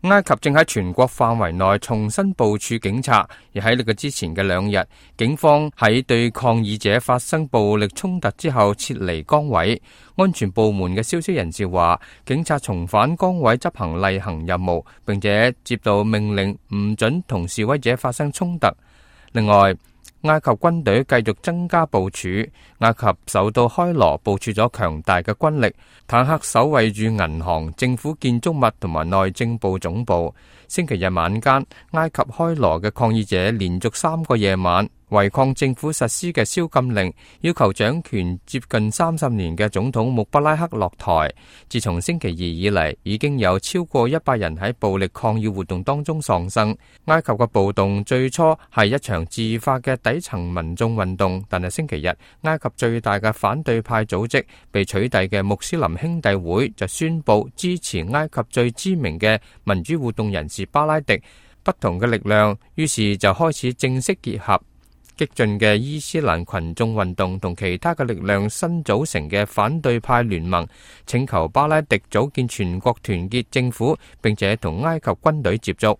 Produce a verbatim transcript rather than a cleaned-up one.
埃及正喺全國範圍內重新部署警察，而喺呢個之前嘅兩日，警方喺對抗議者發生暴力衝突之後撤離崗位。安全部門嘅消息人士話，警察重返崗位執行例行任務，並且接到命令唔准同示威者發生衝突。另外，埃及軍隊繼續增加部署，埃及首都開羅部署咗強大嘅軍力，坦克守衛住銀行、政府建築物同埋內政部總部。星期日晚間，埃及開羅嘅抗議者連續三個夜晚違抗政府實施嘅宵禁令，要求掌權接近三十年嘅總統穆巴拉克落台。自從星期二以嚟，已經有超過一百人喺暴力抗議活動當中喪生。埃及嘅暴動最初係一場自發嘅底層民眾運動，但係星期日，埃及最大嘅反對派組織被取締嘅穆斯林兄弟會就宣布支持埃及最知名嘅民主活動人士巴拉迪。不同嘅力量於是就開始正式結合。激進嘅伊斯蘭群眾運動同其他嘅力量新組成嘅反對派聯盟，請求巴拉迪組建全國團結政府，並且同埃及軍隊接觸。